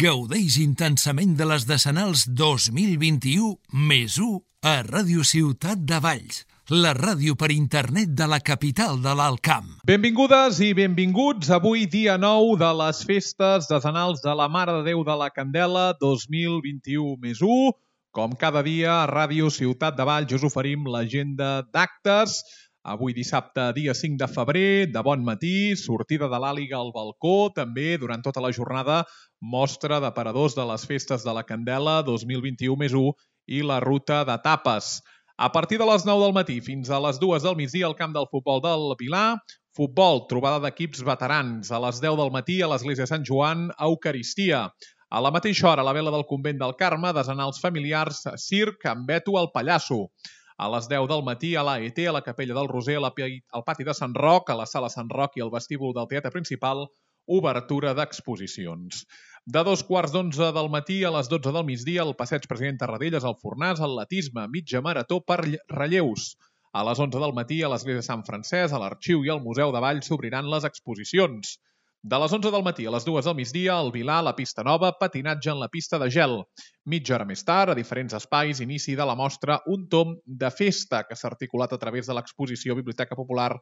Gaudeix intensament de les Decenals 2021 més 1 a Ràdio Ciutat de Valls, la ràdio per internet de la capital de l'Alt Camp. Benvingudes i benvinguts avui dia 9 de les festes decenals de la Mare de Déu de la Candela 2021 més 1. Com cada dia a Ràdio Ciutat de Valls us oferim l'agenda d'actes. Avui dissabte, dia 5 de febrer, de bon matí, sortida de l'Àliga al balcó, també durant tota la jornada, mostra d'aparadors de les festes de la Candela 2021 més 1 i la ruta d'etapes. A partir de les 9 del matí fins a les 2 del migdia al camp del futbol del Vilar, futbol, trobada d'equips veterans. A les 10 del matí a l'església de Sant Joan, Eucaristia. A la mateixa hora, a la vela del convent del Carme, desenals familiars, circ amb Beto el Pallasso. A les 10 del matí a l'AET, a la Capella del Roser, al pati de Sant Roc, a la sala Sant Roc i al vestíbul del Teatre Principal, obertura d'exposicions. De 2:15 del matí a les 12 del migdia, al passeig President Tarradellas, al Fornàs, atletisme, mitja marató per relleus. A les 11 del matí, a l'església de Sant Francesc, a l'Arxiu i al Museu de Valls s'obriran les exposicions. De les 11 del matí a les 2 del migdia, al Vilar, a la pista nova, patinatge en la pista de gel. Mitja hora més tard, a diferents espais, inici de la mostra Un tom de festa, que s'ha articulat a través de l'exposició Biblioteca Popular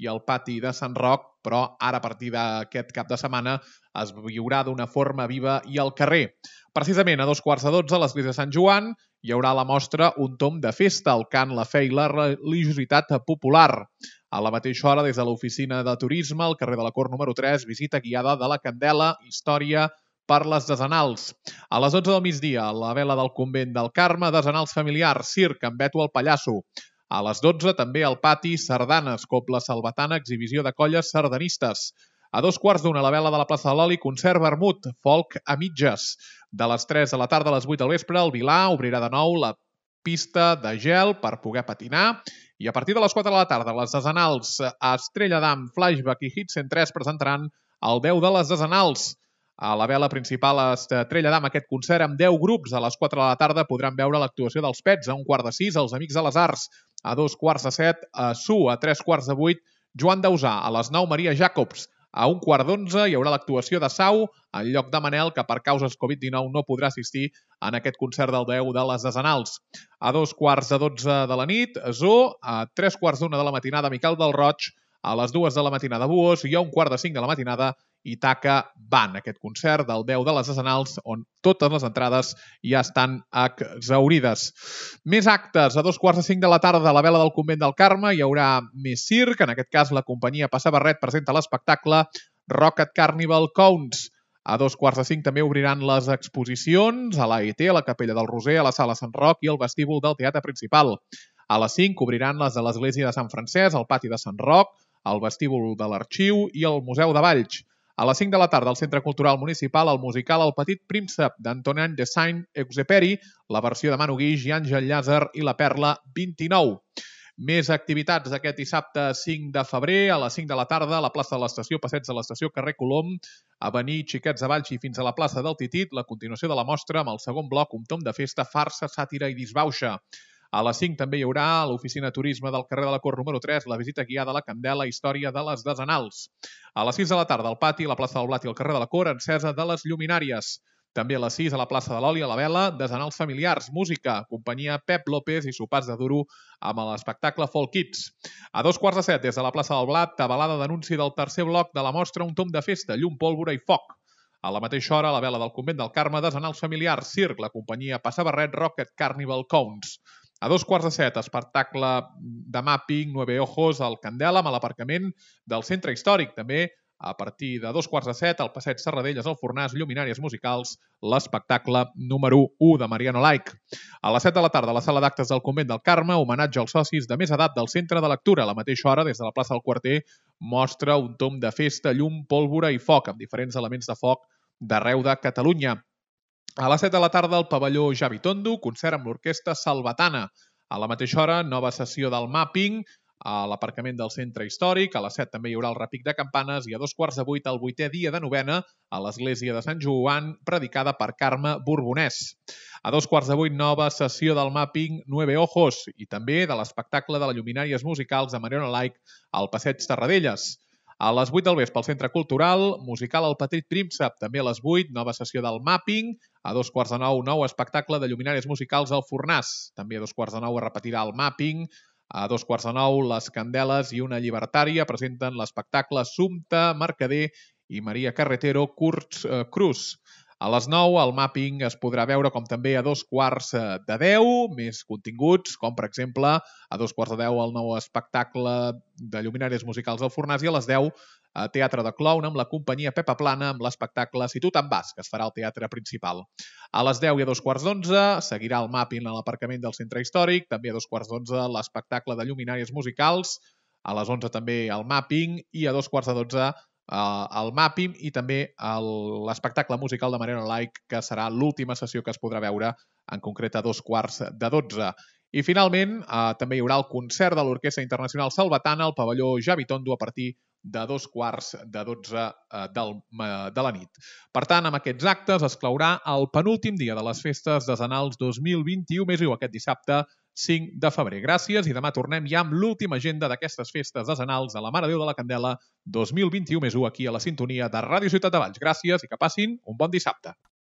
i el pati de Sant Roc, però ara a partir d'aquest cap de setmana es viurà d'una forma viva i al carrer. Precisament a 2:15 a l'església de Sant Joan hi haurà la mostra Un tom de festa, el cant, la fe i la religiositat popular. A la mateixa hora, des de l'oficina de turisme, al carrer de la Cort número 3, visita guiada de la Candela, història per les desenals. A les 12 del migdia, a la vela del convent del Carme, desenals familiars, circ amb Beto el Pallasso. A les 12, també al pati, sardanes, cobla salvatana, exhibició de colles sardanistes. A 2:15 a la vela de la plaça de l'Oli, concert vermut, folk a mitges. De les 3 de la tarda a les 8 del vespre, el Vilar obrirà de nou la pista de gel per poder patinar. I a partir de les 4 de la tarda, les desenals a Estrella d'Am, Flashback i Hit 103 presentaran el 10 de les desenals. A la vela principal a Estrella d'Am, aquest concert amb 10 grups. A les 4 de la tarda podran veure l'actuació dels Pets. A 1:15, els Amics de les Arts. A 2:15, a Su. A 3:15, Joan Dausà. A les 9, Maria Jacobs. A 1:15 hi haurà l'actuació de Sau en lloc de Manel, que per causes Covid-19 no podrà assistir en aquest concert del 10 de les desenals. A 2:15 de la nit, Zoo. A 3:15 de la matinada, Miquel del Roig. A les 2 de la matinada, Buós. I a 1:45 de la matinada, Itaca Band, aquest concert del 10 de les decenals, on totes les entrades ja estan exhaurides. Més actes. A 2:45 de la tarda, a la vela del convent del Carme, hi haurà més circ. En aquest cas, la companyia Passa Barret presenta l'espectacle Rocket Carnival Counts. A 2:45 també obriran les exposicions a l'AET, a la Capella del Roser, a la sala Sant Roc i al vestíbul del Teatre Principal. A les 5 obriran les de l'església de Sant Francesc, al pati de Sant Roc, al vestíbul de l'Arxiu i al Museu de Valls. A les 5 de la tarda, al Centre Cultural Municipal, el musical El Petit Príncep d'Antonin de Saint-Exupéry, la versió de Manu Guix i Àngel Llàzer i la Perla 29. Més activitats aquest dissabte 5 de febrer, a les 5 de la tarda, a la plaça de l'Estació, passeig de l'Estació, carrer Colom, Avenir Xiquets de Valls i fins a la plaça del Titit, la continuació de la mostra amb el segon bloc, Un tom de festa, farsa, sàtira i disbauxa. A les 5 també hi haurà a l'oficina turisme del carrer de la Cort número 3 la visita guiada a la Candela, història de les desenals. A les 6 de la tarda al pati, a la plaça del Blat i al carrer de la Cort, encesa de les lluminàries. També a les 6 a la plaça de l'Oli, a la vela, desenals familiars, música, companyia Pep López i sopars de duro amb l'espectacle Folk Kids. A 2:15, des de la plaça del Blat, tabalada d'anunci del tercer bloc de la mostra Un tom de festa, llum, pólvora i foc. A la mateixa hora, a la vela del convent del Carme, desenals familiars, circ, la companyia Passa Barret, Rocket Carnival Counts. A 2:15, espectacle de mapping, 9 ojos, al Candela, amb l'aparcament del centre històric. També, a partir de 2:15, al passeig Serradelles, al Fornàs, lluminàries musicals, l'espectacle número 1 de Mariano Laic. A les 7 de la tarda, a la sala d'actes del convent del Carme, homenatge als socis de més edat del centre de lectura. A la mateixa hora, des de la plaça del Quarter, mostra Un tom de festa, llum, pólvora i foc, amb diferents elements de foc d'arreu de Catalunya. A les 7 de la tarda, al pavelló Javi Tondo, concert amb l'orquestra Salvatana. A la mateixa hora, nova sessió del mapping a l'aparcament del centre històric. A les 7 també hi haurà el repic de campanes i a 2:15, el 8è dia de novena a l'església de Sant Joan, predicada per Carme Borbonès. A 2:15, nova sessió del mapping 9 ojos i també de l'espectacle de les lluminàries musicals de Mariano Laic al passeig Tarradellas. A les 8 del vespre, al Centre Cultural, musical El Petit Príncep. També a les 8, nova sessió del Mapping. A 2:15, nou espectacle de lluminàries musicals al Fornàs. També a 2:15 es repetirà el Mapping. A 2:15, les Candeles i una llibertària presenten l'espectacle Sumpta Mercader i Maria Carretero Cruz. A les 9, el Mapping es podrà veure, com també a 9:15, més continguts, com per exemple a 9:15 el nou espectacle de lluminàries musicals al Fornàs i a les 10 Teatre de Clown amb la companyia Pepa Plana amb l'espectacle Si tu te'n vas, que es farà al teatre principal. A les 10 i a 2:15 seguirà el Mapping a l'aparcament del Centre Històric, també a 2:15 l'espectacle de lluminàries musicals, a les 11 també el Mapping i a 2:15 el Mapping i també l'espectacle musical de Mariano Like, que serà l'última sessió que es podrà veure, en concret a 2:15. I finalment també hi haurà el concert de l'Orquestra Internacional Salvatana al pavelló Javi Tondo a partir de 2:15 de la nit. Per tant, amb aquests actes es claurà el penúltim dia de les festes decenals 2021 aquest dissabte 5 de febrer. Gràcies i demà tornem ja amb l'última agenda d'aquestes festes decenals de la Mare de Déu de la Candela 2021 aquí a la sintonia de Ràdio Ciutat de Valls. Gràcies i que passin un bon dissabte.